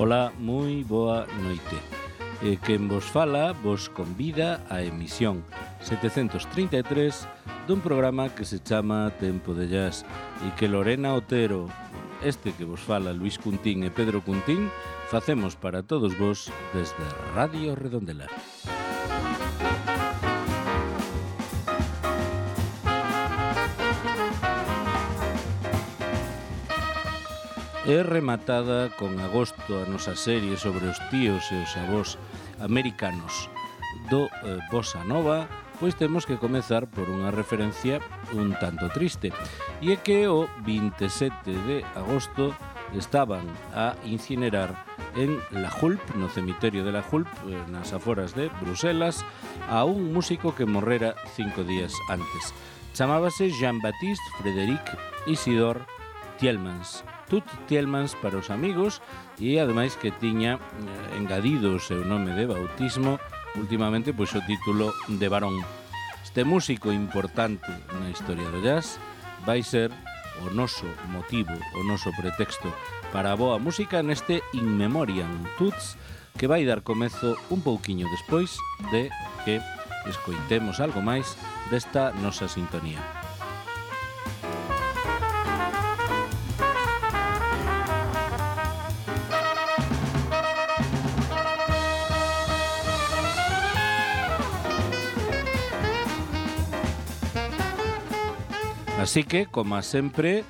Ola, moi boa noite. Quen vos fala vos convida á emisión 733 dun programa que se chama Tempo de Jazz e que Lorena Otero, este que vos fala Luis Cuntín e Pedro Cuntín, facemos para todos vos desde Radio Redondela. É rematada con agosto a nosa serie sobre os tíos e os avós americanos do Bossa Nova, pois temos que comezar por unha referencia un tanto triste. E é que o 27 de agosto estaban a incinerar en La Hulpe, no cemiterio de La Hulpe, nas aforas de Bruselas, a un músico que morrera 5 días antes. Chamábase Jean-Baptiste Frédéric Isidore Thielmans. Tut Thielmans para os amigos, e ademais que tiña engadido o seu nome de bautismo últimamente pois o título de varón. Este músico importante na historia do jazz vai ser o noso motivo, o noso pretexto para a boa música neste In Memoriam Tuts, que vai dar comezo un pouquiño despois de que escoitemos algo máis desta nosa sintonía. Así que, como sempre,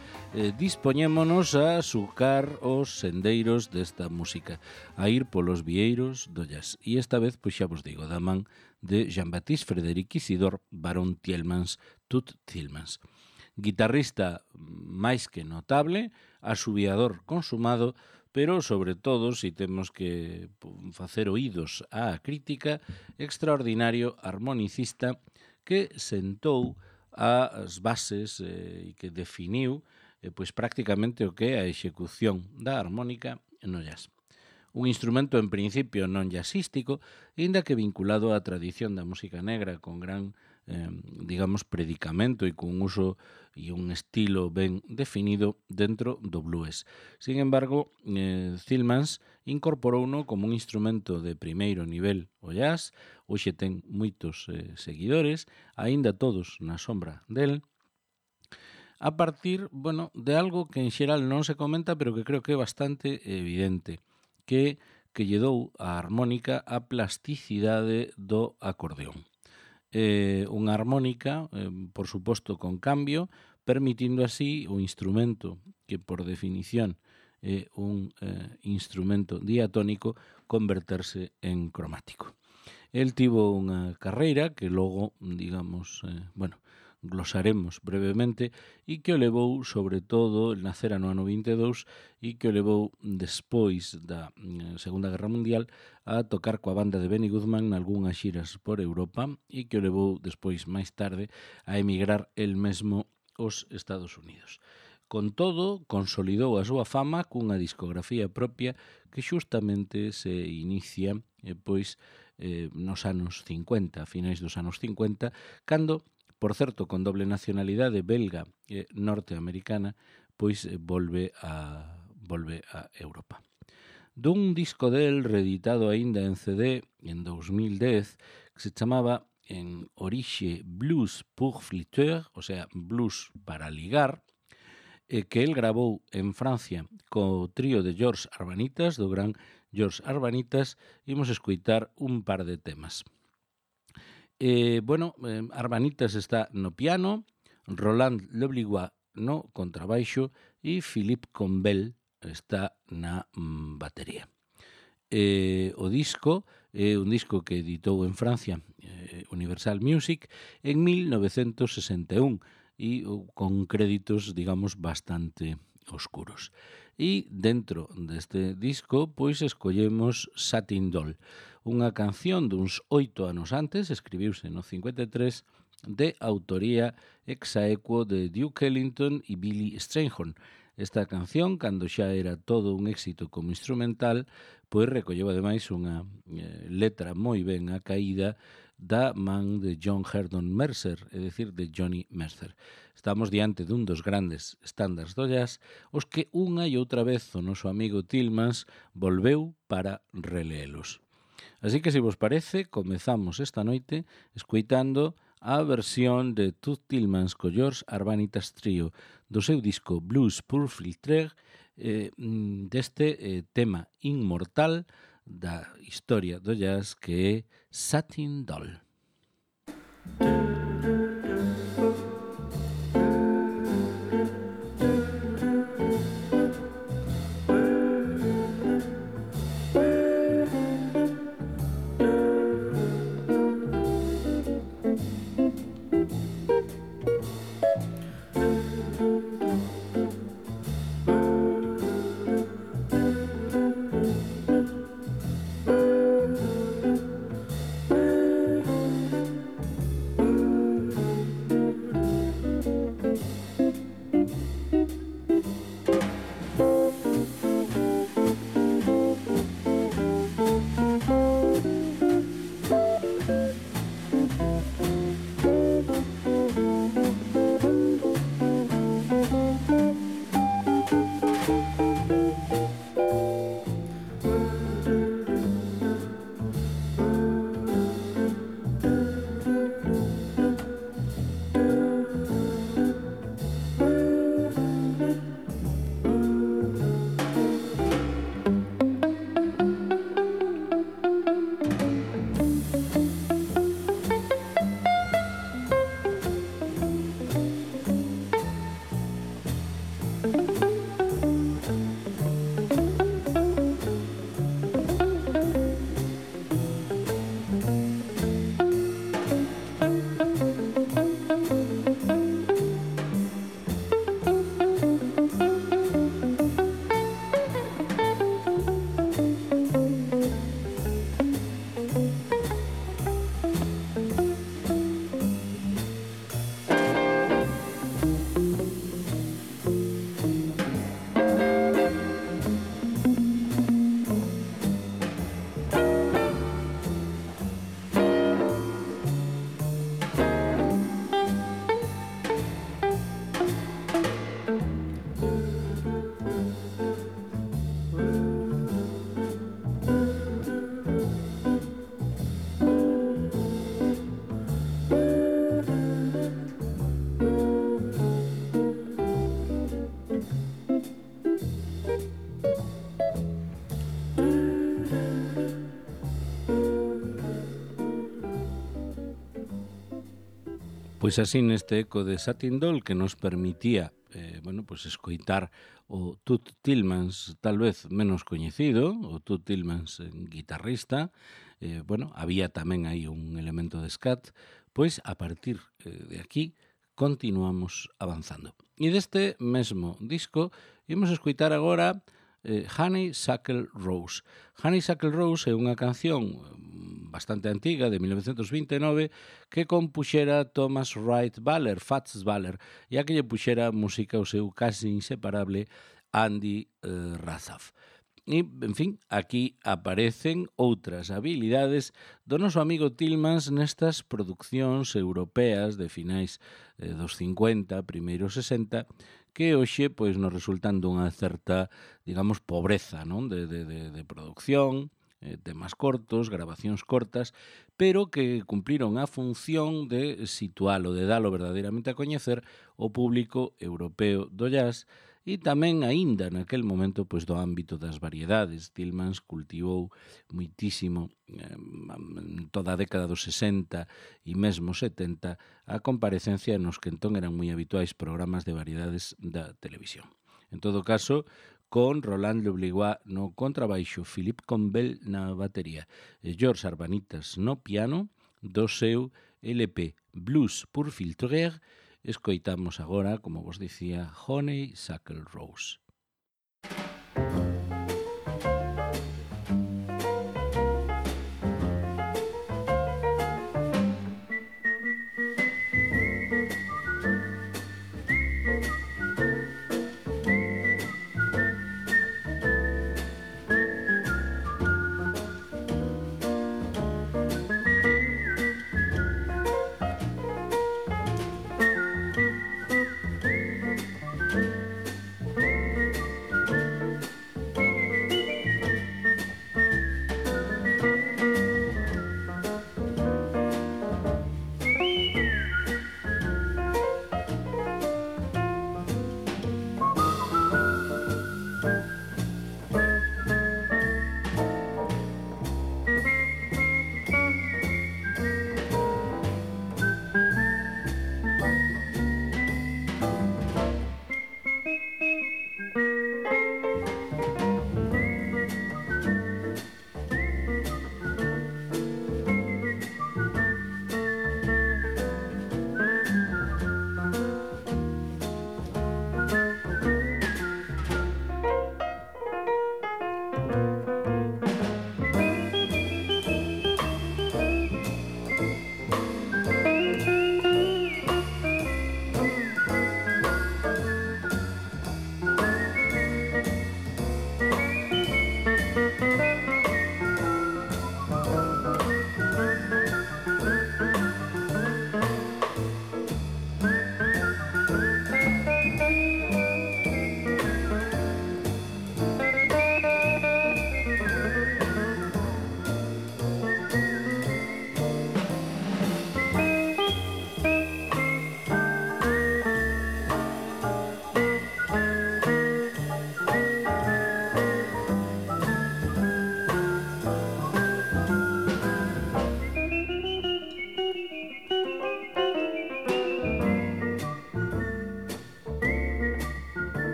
dispoñémonos a sucar os sendeiros desta música, a ir polos vieiros do jazz. E esta vez, pois xa vos digo, da man de Jean-Baptiste Frédéric Isidore Baron Thielmans, Tut Thielmans. Guitarrista máis que notable, asubiador consumado, pero, sobre todo, si temos que facer oídos á crítica, extraordinario armonicista que sentou as bases e que definiu pois prácticamente o que é a execución da armónica no jazz. Un instrumento en principio non jazzístico, aínda que vinculado á tradición da música negra con gran, digamos, predicamento e con uso e un estilo ben definido dentro do blues. Sin embargo, Thielmans incorporouno como un instrumento de primeiro nivel o jazz. Hoxe ten moitos seguidores, aínda todos na sombra del, a partir, de algo que en xeral non se comenta, pero que creo que é bastante evidente, que lle dou a armónica a plasticidade do acordeón. Unha armónica, por suposto, con cambio, permitindo así o instrumento, que por definición é un instrumento diatónico, converterse en cromático. El tivo unha carreira que logo, digamos, glosaremos brevemente, e que o levou, sobre todo, el nacera no ano 22, e que o levou despois da Segunda Guerra Mundial a tocar coa banda de Benny Goodman nalgúnas xiras por Europa, e que o levou despois, máis tarde, a emigrar el mesmo aos Estados Unidos. Con todo, consolidou a súa fama cunha discografía propia que xustamente se inicia nos anos 50, a finais dos anos 50, cando, por certo, con doble nacionalidade belga e norteamericana, pois volve a Europa. Dun disco del reeditado aínda en CD en 2010, que se chamaba en orixe Blues pour flûteurs, o sea, blues para ligar, que el gravou en Francia co trío de George Arbanitas, do gran George Arbanitas, imos escoitar un par de temas. Arbanitas está no piano, Roland Lebligois no contrabaixo e Philippe Combel está na batería. O disco é un disco que editou en Francia Universal Music en 1961 e con créditos, digamos, bastante oscuros. E dentro deste disco, pois escollemos Satin Doll, unha canción duns 8 anos antes, escribiuse no 53, de autoría exaequo de Duke Ellington e Billy Strayhorn. Esta canción, cando xa era todo un éxito como instrumental, pois recolleu ademais unha letra moi ben acaída da man de John Herdon Mercer, é dicir, de Johnny Mercer. Estamos diante dun dos grandes estándares do jazz, os que unha e outra vez o noso amigo Tillmans volveu para releelos. Así que, se vos parece, comezamos esta noite escoitando a versión de Toots Thielemans co George Arbanitas Trio do seu disco Blues pour Filtre, deste tema inmortal da historia do jazz que é Satin Doll. Pois así neste eco de Satin Doll que nos permitía escoitar o Toots Thielemans tal vez menos coñecido, o Toots Thielemans guitarrista, había tamén aí un elemento de scat, pois a partir de aquí continuamos avanzando. E deste mesmo disco imos escoitar agora Honeysuckle Rose. Honeysuckle Rose é unha canción bastante antiga, de 1929, que compuxera Thomas Wright Waller, Fats Waller, e a que lle puxera música o seu casi inseparable Andy Razaf. E, en fin, aquí aparecen outras habilidades do noso amigo Tillmans nestas produccións europeas de finais dos 50, primeiros 60, que hoxe pois nos resultan dunha certa, digamos, pobreza, non? De producción, temas cortos, grabacións cortas, pero que cumpliron a función de situalo, de dalo verdadeiramente a coñecer o público europeo do jazz e tamén aínda naquel momento pois do ámbito das variedades. Tillmans cultivou muitísimo toda a década dos 60 e mesmo 70 a comparecencia nos que entón eran moi habituais programas de variedades da televisión. En todo caso, con Roland Lebligois no contrabaixo, Philippe Combel na batería e George Arbanitas no piano do seu LP Blues pour Filtre. Escoitamos agora, como vos dicía, Honeysuckle Rose.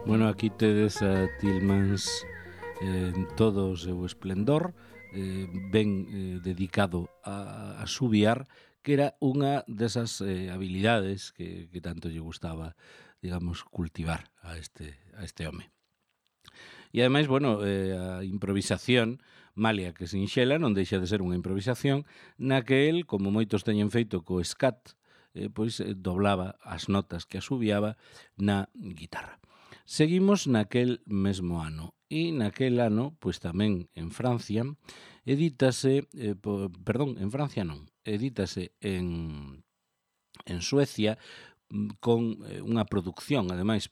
Bueno, aquí tedes a Tillmans en todo o seu esplendor, ben dedicado a subiar, que era unha desas habilidades que tanto lle gustaba, digamos, cultivar a este home. E ademais, bueno, a improvisación, malia que sinxela, non deixa de ser unha improvisación, na que el, como moitos teñen feito co scat, pois doblaba as notas que asubiaba na guitarra. Seguimos naquel mesmo ano, e naquel ano, pois tamén en Francia, edítase, en Francia non, edítase en Suecia, con unha producción, ademais,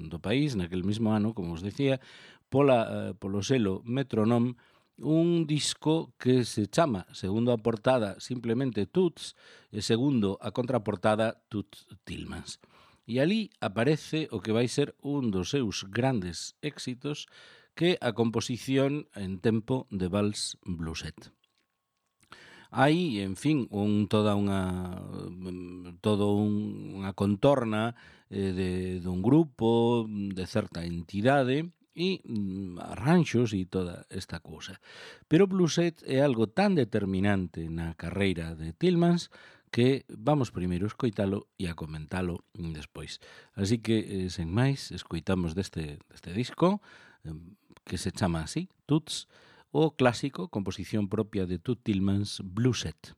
do país, naquel mesmo ano, como os decía, polo selo Metronome, un disco que se chama, segundo a portada, simplemente Toots, e segundo a contraportada, Toots Tillmans. E ali aparece o que vai ser un dos seus grandes éxitos, que a composición en tempo de vals blueset. Hai, en fin, toda unha contorna dun grupo, de certa entidade, e arranxos e toda esta cousa. Pero o blueset é algo tan determinante na carreira de Tillmans que vamos primeiro a escoitalo e a comentalo despois. Así que, sen máis, escoitamos deste disco, que se chama así, Toots, o clásico, composición propia de Toots Tillmans, Blueset.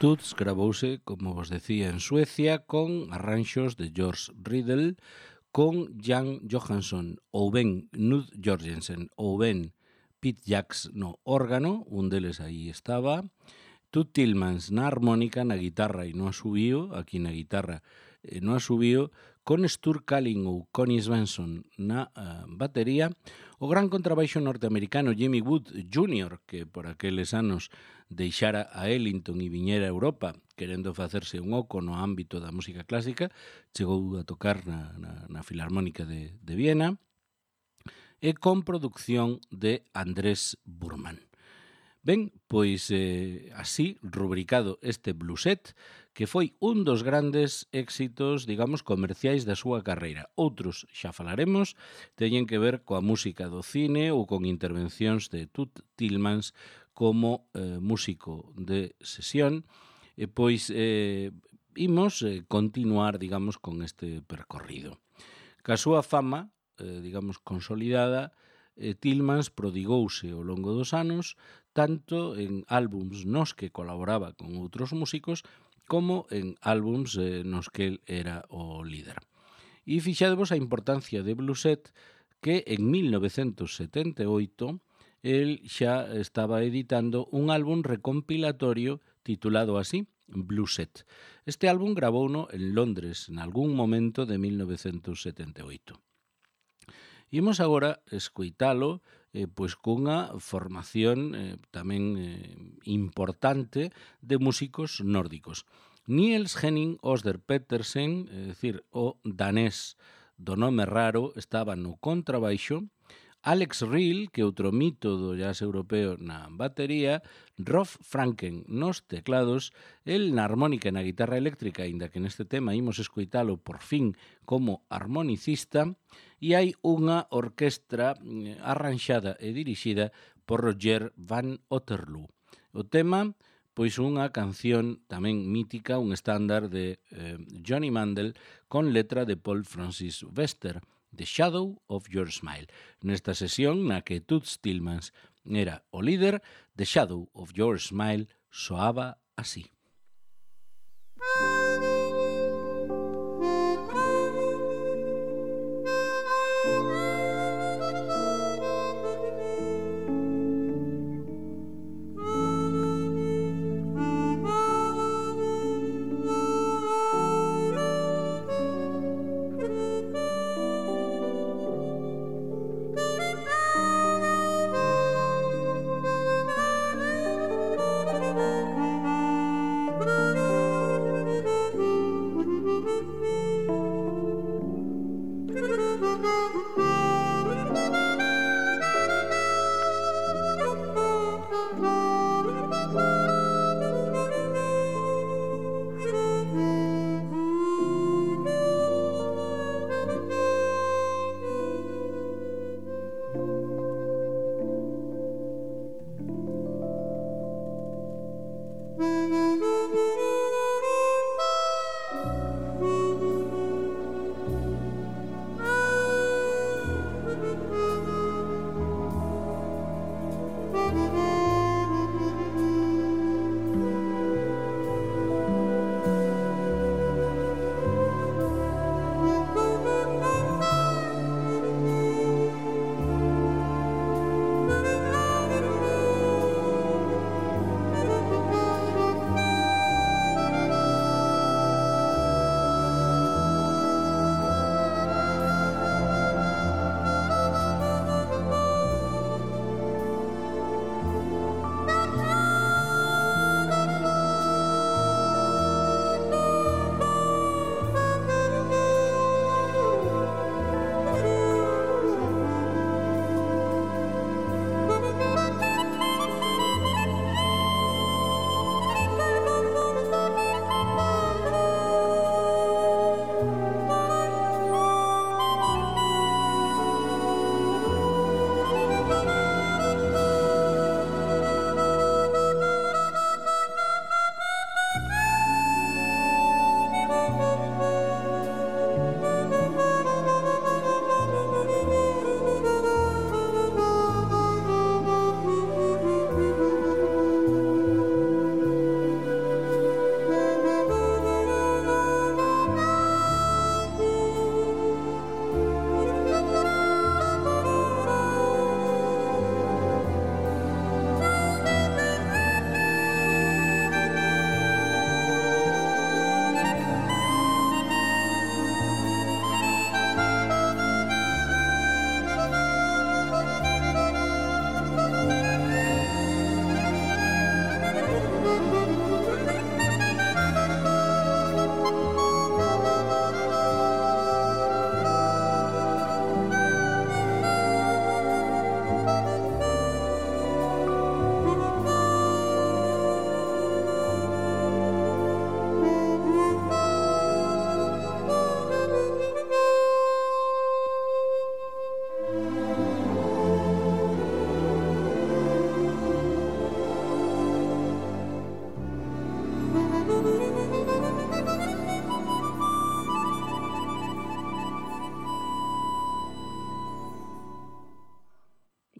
Toots gravouse, como vos decía, en Suecia con arranxos de George Riddle, con Jan Johansson ou ben Knud Jorgensen ou ben Pete Jacks no órgano, un deles aí estaba, Tut Tillmans na armónica, na guitarra e no asubío, aquí na guitarra no asubío, con Stur Kalin ou Connie Svensson na batería, o gran contrabaixo norteamericano Jimmy Wood Jr., que por aqueles anos deixara a Ellington e viñera a Europa querendo facerse un oco no ámbito da música clásica, chegou a tocar na Filarmónica de Viena, e con producción de Andrés Burman. Ben, pois así rubricado este blueset, que foi un dos grandes éxitos, digamos, comerciais da súa carreira. Outros, xa falaremos, teñen que ver coa música do cine ou con intervencións de Tut Tillmans como músico de sesión, e pois imos continuar, digamos, con este percorrido. Ca súa fama, digamos, consolidada, Tillmans prodigouse ao longo dos anos tanto en álbums nos que colaboraba con outros músicos como en álbums nos que el era o líder. E fixadevos a importancia de Blueset que en 1978 el xa estaba editando un álbum recompilatorio titulado así, Blueset. Este álbum gravouno en Londres en algún momento de 1978. Imos agora escoitalo pois cunha formación tamén importante de músicos nórdicos. Niels Henning Oster Petersen, é dicir, o danés do nome raro, estaba no contrabaixo, Alex Reel, que outro mito do jazz europeo na batería, Rolf Franken nos teclados, el na armónica e na guitarra eléctrica, aínda que neste tema imos escoitalo por fin como armonicista, e hai unha orquestra arranxada e dirixida por Roger Van Otterloo. O tema, pois unha canción tamén mítica, un estándar de Johnny Mandel con letra de Paul Francis Webster, The Shadow of Your Smile. Nesta sesión na que Toots Tillmans era o líder, The Shadow of Your Smile soaba así.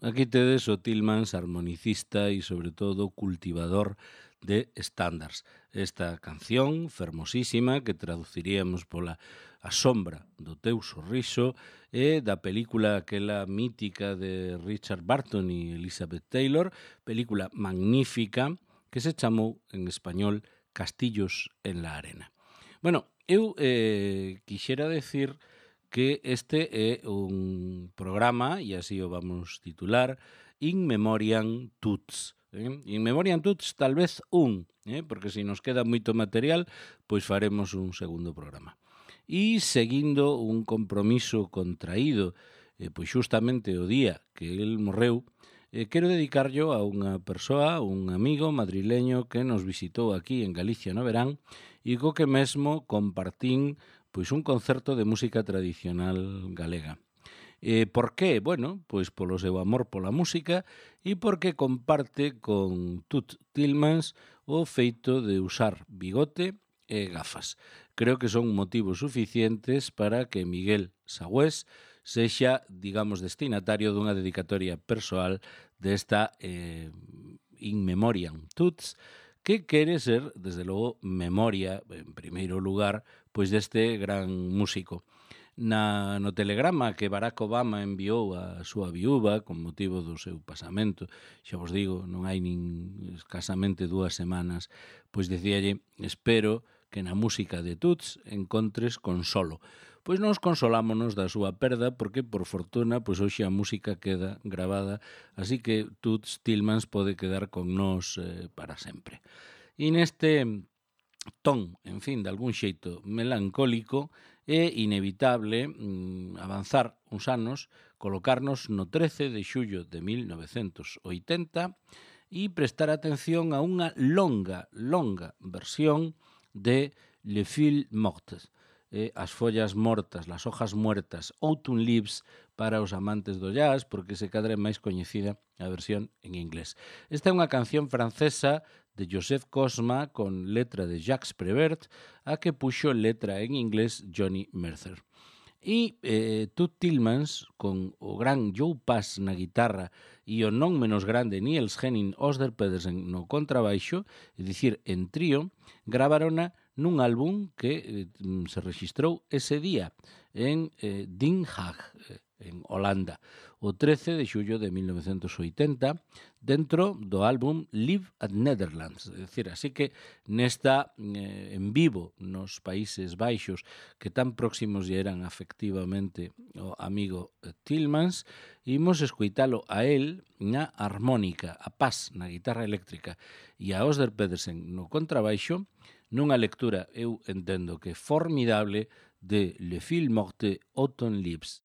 aquí tedes o Tillmans armonicista e, sobre todo, cultivador de estándares. Esta canción fermosísima que traduciríamos pola A sombra do teu sorriso e da película aquela mítica de Richard Burton e Elizabeth Taylor, película magnífica que se chamou en español Castillos en la arena. Bueno, eu quixera decir que este é un programa, e así o vamos titular, In Memoriam Tuts. In Memoriam Tuts tal vez porque se nos queda moito material, pois faremos un segundo programa. E seguindo un compromiso contraído, pois xustamente o día que el morreu, quero dedicarlo a unha persoa, un amigo madrileño que nos visitou aquí en Galicia no verán e co que mesmo compartín pois un concerto de música tradicional galega. Por qué? Bueno, pois polo seu amor pola música e porque comparte con Tut Tillmans o feito de usar bigote e gafas. Creo que son motivos suficientes para que Miguel Sagüés sexa, digamos, destinatario dunha dedicatoria persoal desta In Memoriam Tuts, que quere ser, desde logo, memoria, en primeiro lugar, pois deste gran músico. No telegrama que Barack Obama enviou á súa viúva con motivo do seu pasamento, xa vos digo, non hai nin escasamente 2 semanas, pois dicíalle, espero que na música de Tuts encontres consolo. Pois nos consolámonos da súa perda porque, por fortuna, pois hoxe a música queda gravada, así que Toots Tillmans pode quedar con nós para sempre. E neste ton, en fin, de algún xeito melancólico, é inevitable avanzar uns anos, colocarnos no 13 de xullo de 1980 e prestar atención a unha longa versión de Le Fil Mortes, as follas mortas, las hojas muertas, Autumn Leaves para os amantes do jazz, porque se cadra é máis coñecida a versión en inglés. Esta é unha canción francesa de Joseph Cosma con letra de Jacques Prévert, a que puxo letra en inglés Johnny Mercer. E Tut Tillmans, con o gran Joe Pass na guitarra e o non menos grande Niels Henning Osder Pedersen no contrabaixo, é dicir, en trío, gravarona nun álbum que se registrou ese día en Den Haag, en Holanda, o 13 de xullo de 1980, dentro do álbum Live at Netherlands. É dicir, así que nesta en vivo nos Países Baixos, que tan próximos lle eran afectivamente o amigo Tillmans, imos escoitalo a él na armónica, a Paz na guitarra eléctrica e a Osder Pedersen no contrabaixo, nunha lectura, eu entendo que formidable, de Le Fil Morte Autumn Leaves.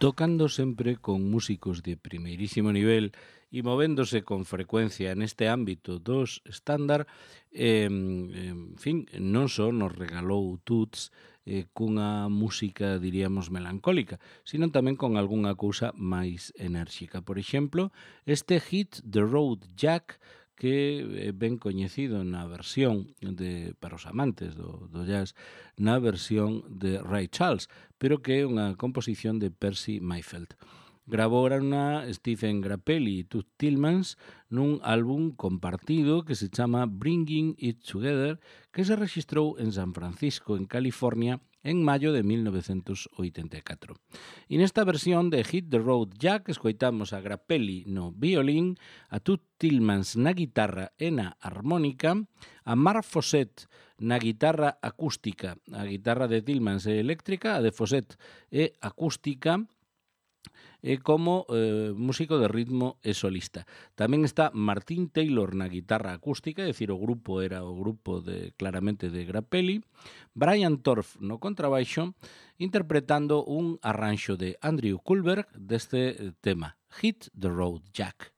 tocando sempre con músicos de primeirísimo nivel e movéndose con frecuencia neste ámbito dos estándar, en fin, non só nos regalou Toots cunha música, diríamos, melancólica, sino tamén con algunha cousa máis enérxica. Por exemplo, este Hit the Road Jack, que é ben coñecido na versión para os amantes do jazz, na versión de Ray Charles, pero que é unha composición de Percy Mayfield. Grabouranna Stephen Grappelli e Toots Thielemans nun álbum compartido que se chama Bringing It Together, que se registrou en San Francisco, en California, en maio de 1984. E nesta versión de Hit the Road Jack escoitamos a Grappelli no violín, a Toots Thielemans na guitarra e na armónica, a Mark Fossett na guitarra acústica. A guitarra de Thielemans é eléctrica, a de Fossett é acústica, como músico de ritmo e solista. Tamén está Martin Taylor na guitarra acústica, é dicir, o grupo era o grupo claramente de Grappelli, Brian Torf no contrabaixo, interpretando un arranxo de Andrew Kuhlberg deste tema, Hit the Road Jack.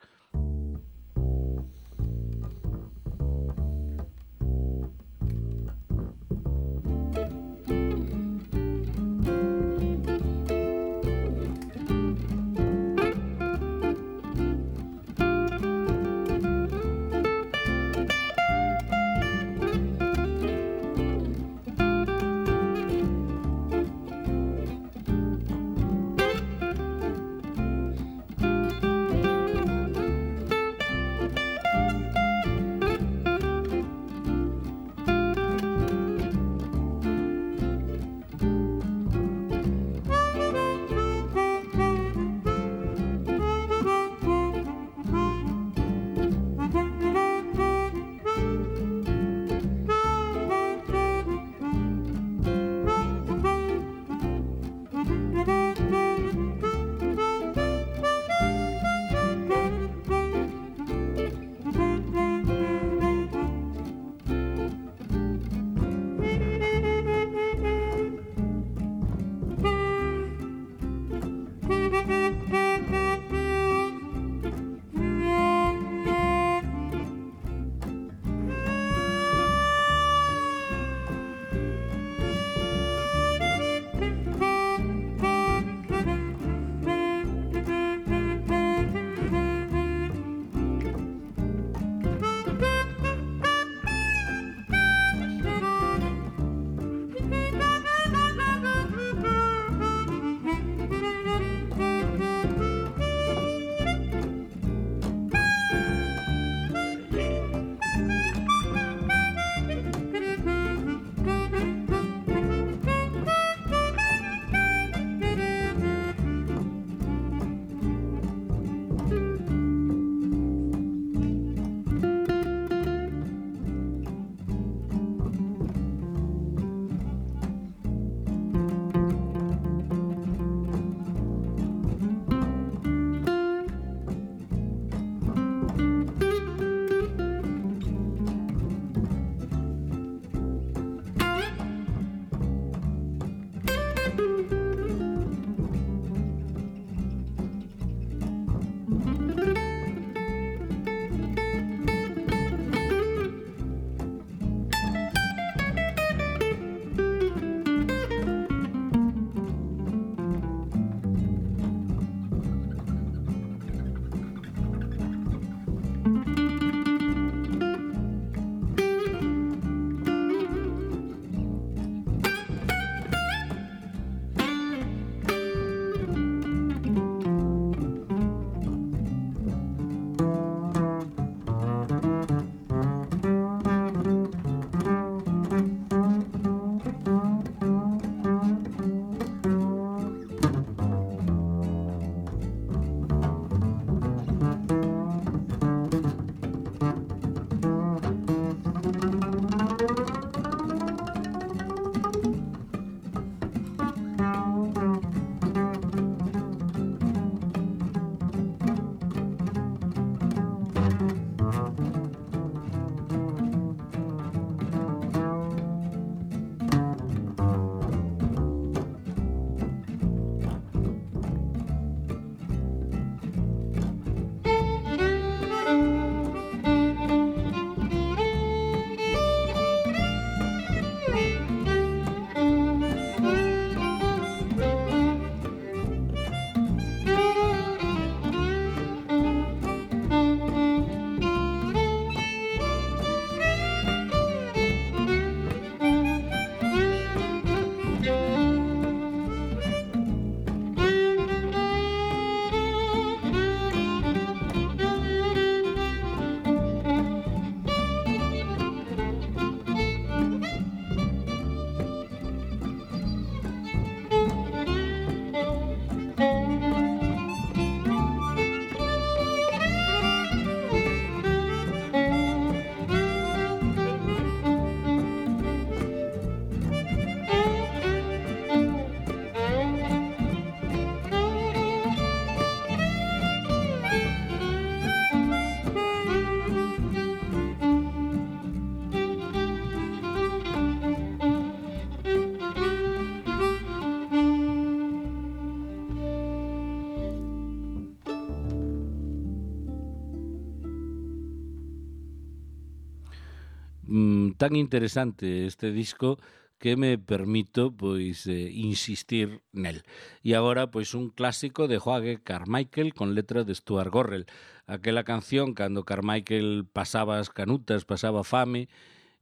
Tan interesante este disco que me permito pois insistir nel. E agora pois un clásico de Joaquín Carmichael con letra de Stuart Gorrell. Aquela canción cando Carmichael pasaba as canutas, pasaba fame,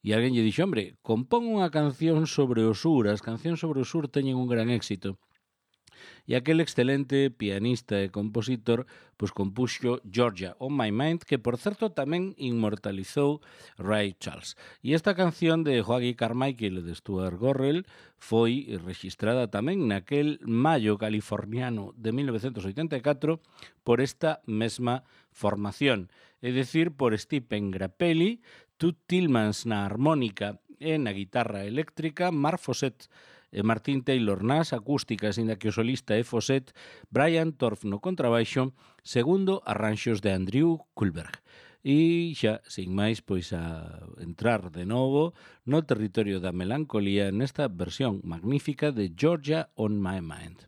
e alguén lle dixo, hombre, compón unha canción sobre o sur, as cancións sobre o sur teñen un gran éxito. E aquel excelente pianista e compositor pois compuxo Georgia on My Mind, que por certo tamén inmortalizou Ray Charles. E esta canción de Joaquín Carmichael e de Stuart Gorrell foi registrada tamén naquel maio californiano de 1984 por esta mesma formación, é dicir, por Stephen Grappelli, Tut Tillmans na armónica e na guitarra eléctrica, Mark Fossett e Martin Taylor nas acústicas, inda que o solista é Fossett, Brian Torf no contrabaixo, segundo arranxos de Andrew Kuhlberg. E xa, sin máis, pois a entrar de novo no territorio da melancolía nesta versión magnífica de Georgia on My Mind.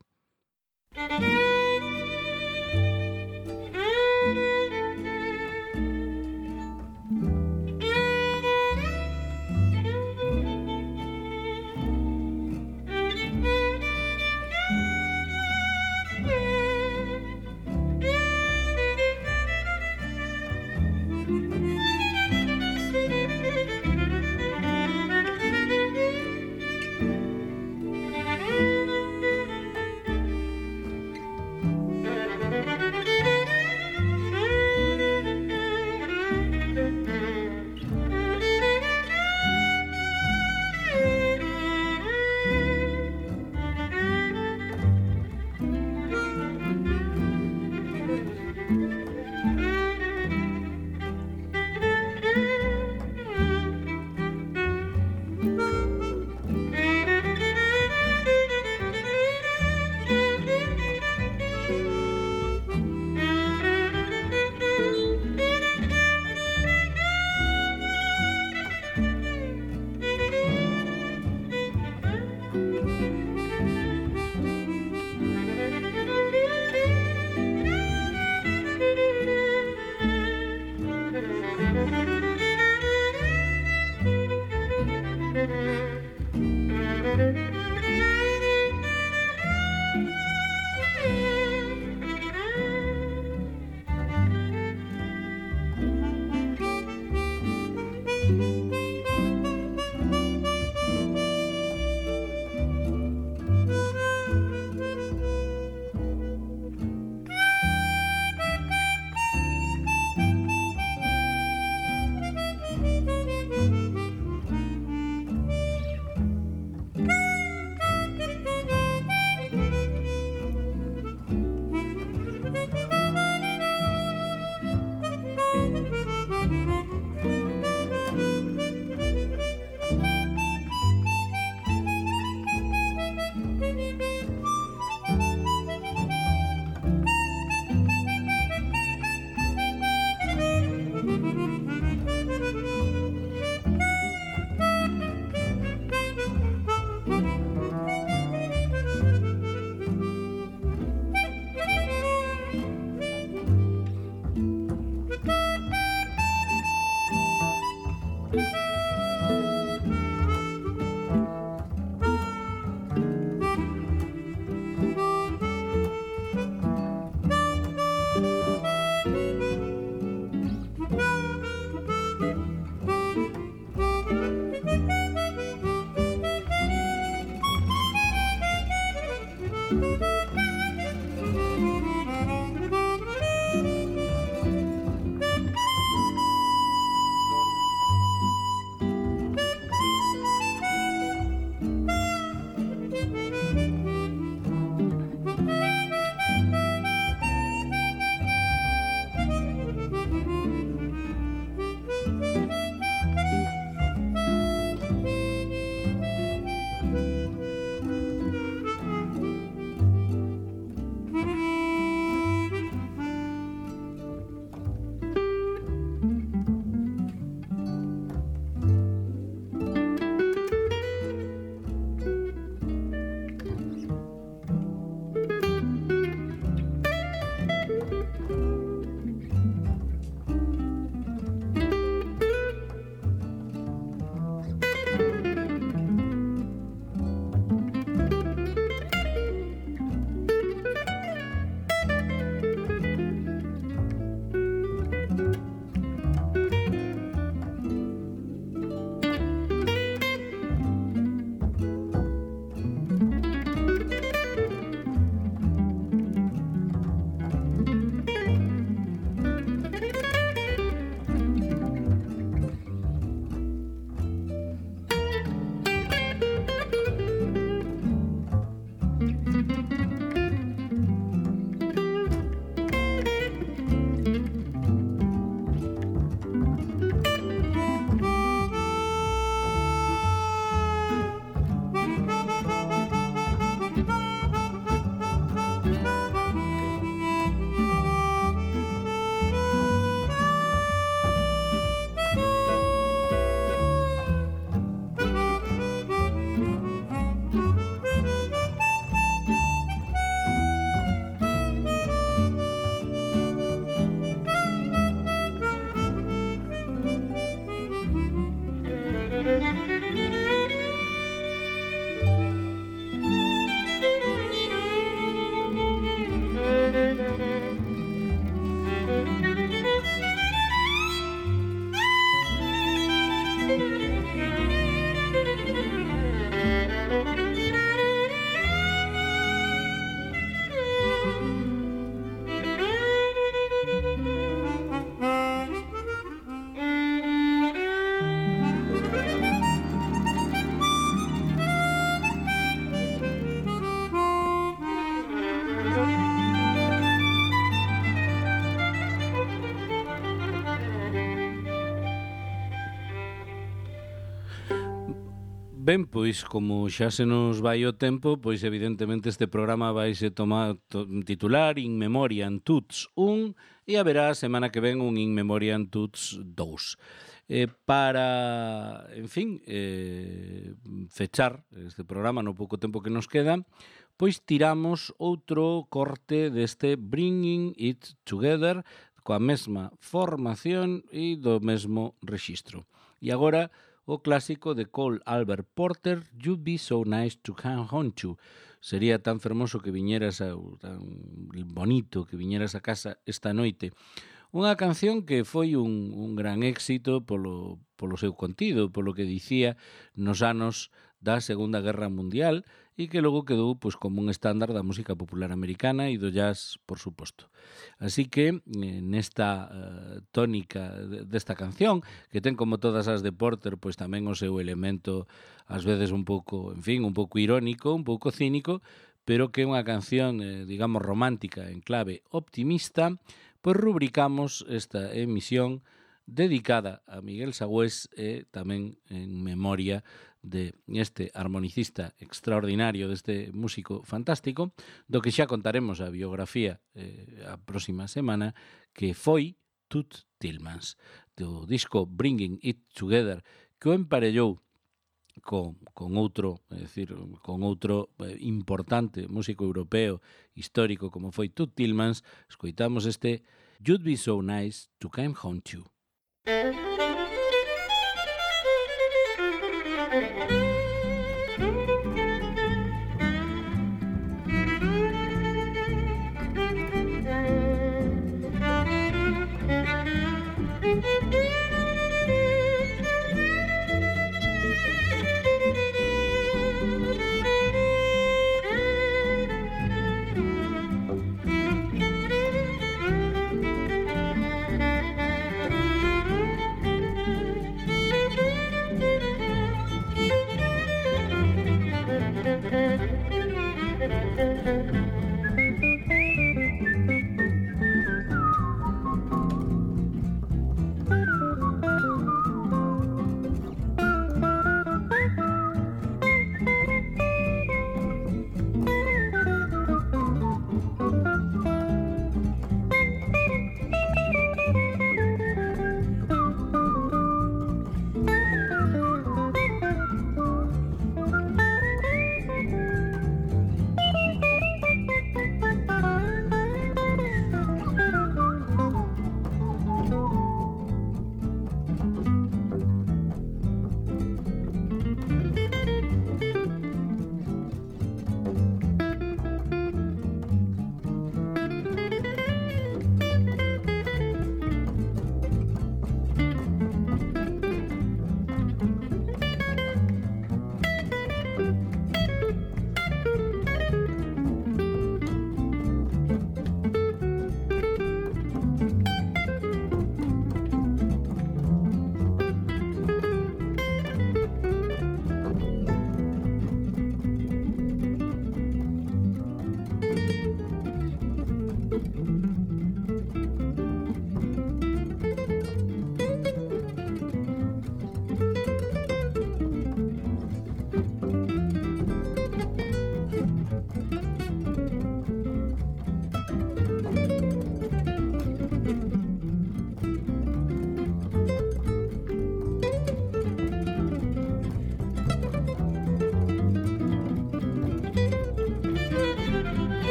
Ben, pois, como xa se nos vai o tempo, pois evidentemente este programa vaise titular In Memoriam Tuts 1 e haberá a semana que ven un In Memoriam Tuts 2. Para, en fin, fechar este programa no pouco tempo que nos queda, pois tiramos outro corte deste Bringing It Together coa mesma formación e do mesmo rexistro. E agora o clásico de Cole Albert Porter, You'd Be So Nice to Come Home To. Sería tan fermoso que viñeras tan bonito que viñeras a casa esta noite. Unha canción que foi un gran éxito polo seu contido, polo que dicía nos anos da Segunda Guerra Mundial e que logo quedou pois, como un estándar da música popular americana e do jazz, por suposto. Así que nesta tónica desta canción, que ten como todas as de Porter, pois tamén o seu elemento ás veces un pouco, en fin, un pouco irónico, un pouco cínico, pero que é unha canción, digamos, romántica en clave optimista, pois rubricamos esta emisión dedicada a Miguel Sagüés e tamén en memoria de este armonicista extraordinario, deste músico fantástico, do que xa contaremos a biografía a próxima semana, que foi Toots Thielemans, do disco Bringing It Together, que o emparellou con outro, é dicir, con outro importante músico europeo histórico como foi Toots Thielemans. Escoitamos este You'd Be So Nice to Come Home To.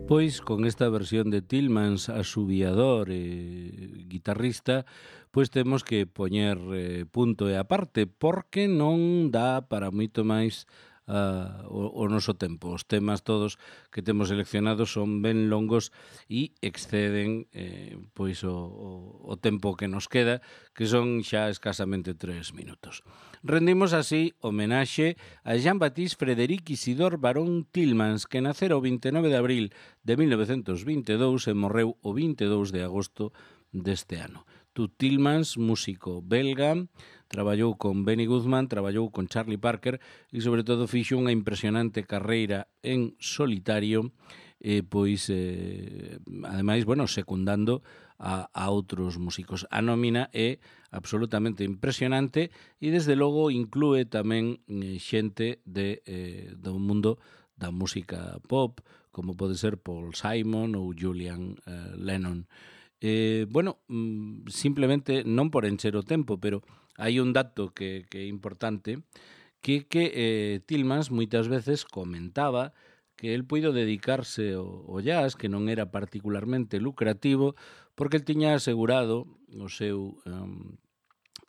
Pois con esta versión de Tillmans, asubiador e guitarrista, pois temos que poñer punto e aparte, porque non dá para moito máis o noso tempo. Os temas todos que temos seleccionados son ben longos e exceden pois o tempo que nos queda, que son xa escasamente 3 minutos. Rendimos así homenaxe a Jean-Baptiste Frédéric Isidore Baron Tillmans, que nacera o 29 de abril de 1922 e morreu o 22 de agosto deste ano. Tut Tillmans, músico belga, traballou con Benny Goodman, traballou con Charlie Parker e, sobre todo, fixo unha impresionante carreira en solitario, ademais, secundando a outros músicos. A nómina é absolutamente impresionante e, desde logo, inclúe tamén xente do mundo da música pop, como pode ser Paul Simon ou Julian Lennon. Simplemente non por encher o tempo, pero hai un dato que é importante, que Tillmans moitas veces comentaba que el puido dedicarse ao jazz, que non era particularmente lucrativo, porque el tiña asegurado o seu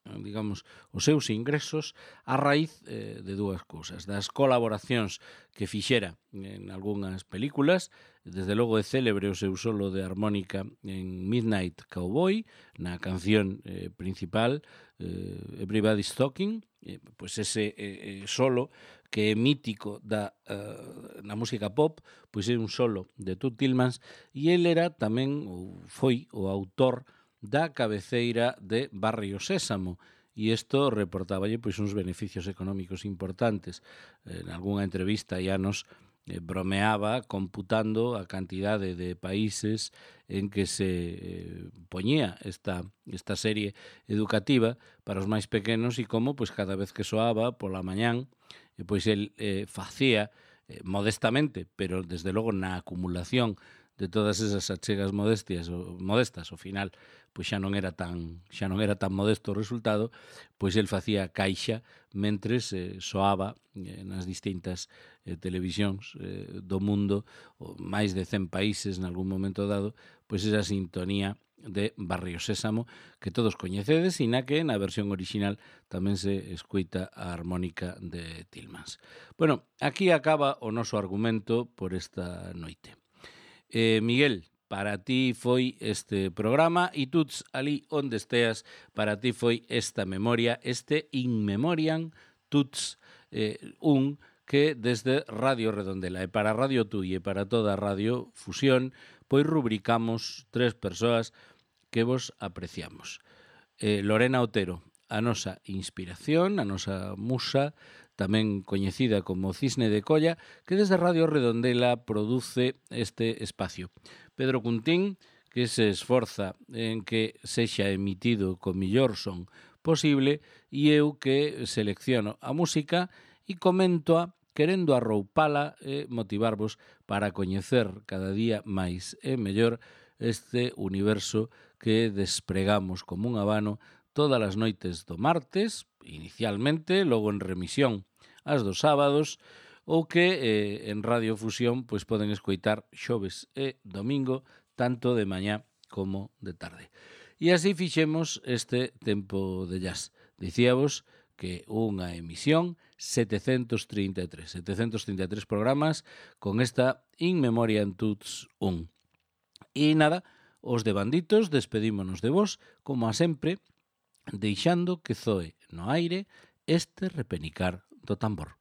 os seus ingresos a raíz de dúas cousas: das colaboracións que fixera en algunhas películas. Desde logo é célebre o seu solo de armónica en Midnight Cowboy, na canción principal Everybody's Talking, pois ese solo que é mítico na música pop, pois é un solo de Tut Tillmans, e el era tamén, ou foi, o autor da cabeceira de Barrio Sésamo, e isto reportáballe pois uns beneficios económicos importantes. En algunha entrevista ya nos bromeaba computando a cantidade de países en que se poñía esta serie educativa para os máis pequenos, e como pois cada vez que soaba pola mañán, pois el facía modestamente, pero desde logo na acumulación de todas esas achegas modestas, ao final pois xa non era tan modesto o resultado, pois el facía caixa mentres soaba nas distintas televisións do mundo, máis de 100 países nalgún momento dado, pois esa sintonía de Barrio Sésamo que todos coñecedes, e na que na versión original tamén se escuita a armónica de Tillmans. Bueno, aquí acaba o noso argumento por esta noite. Miguel, para ti foi este programa, e Tuts, ali onde esteas, para ti foi esta memoria, este In Memoriam Tuts, que desde Radio Redondela e para Radio Tui e para toda a Radio Fusión, pois rubricamos 3 persoas que vos apreciamos. Lorena Otero, a nosa inspiración, a nosa musa, tamén coñecida como Cisne de Colla, que desde Radio Redondela produce este espacio. Pedro Cuntín, que se esforza en que sexa emitido co millor son posible, e eu que selecciono a música e coméntoa querendo arroupala e motivarvos para coñecer cada día máis e mellor este universo que despregamos como un abano todas as noites do martes, inicialmente, logo en remisión as dos sábados, ou que en Radio Fusión pois poden escoitar xoves e domingo, tanto de mañá como de tarde. E así fixemos este tempo de jazz. Dicíavos que unha emisión 733 programas con esta In Memoriam Tuts 1. E nada, os de Banditos despedímonos de vos, como a sempre, deixando que zoe no aire este repenicar do tambor.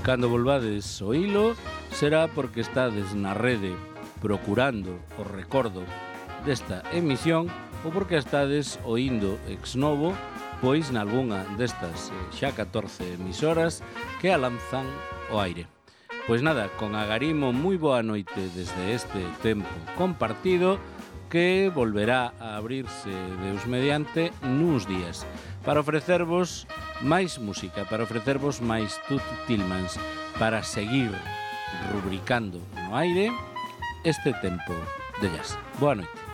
Cando volvades o hilo, será porque estades na rede procurando o recordo desta emisión, ou porque estades oíndo ex novo, pois nalgunha destas xa 14 emisoras que a lanzan ao aire. Pois nada, con agarimo moi boa noite desde este tempo compartido, que volverá a abrirse Deus mediante nuns días, para ofrecervos máis música para ofrecervos máis Toots Thielemans para seguir rubricando no aire este tempo de jazz. Boa noite.